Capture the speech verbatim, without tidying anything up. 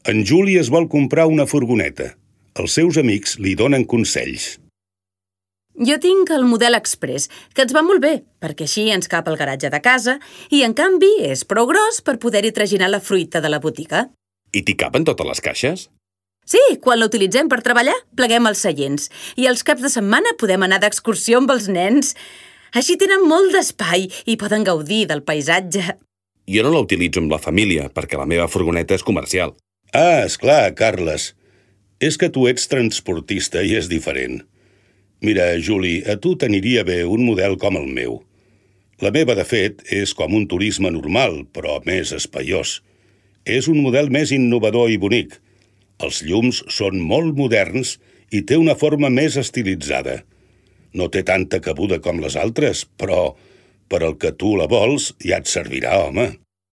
En Juli es vol comprar una furgoneta. Els seus amics li donen consells. Jo tinc el model Express, que ens va molt bé, perquè així ens cap al garatge de casa i, en canvi, és prou gros per poder-hi traginar la fruita de la botiga. I t'hi capen totes les caixes? Sí, quan l'utilitzem per treballar, pleguem els seients i els caps de setmana podem anar d'excursió amb els nens. Així tenen molt d'espai i poden gaudir del paisatge. Jo no la utilitzo amb la família, perquè la meva furgoneta és comercial. Ah, esclar, Carles. És que tu ets transportista i és diferent. Mira, Juli, a tu t'aniria bé un model com el meu. La meva, de fet, és com un turisme normal, però més espaiós. És un model més innovador i bonic. Els llums són molt moderns i té una forma més estilitzada. No té tanta cabuda com les altres, però per al que tu la vols ja et servirà, home.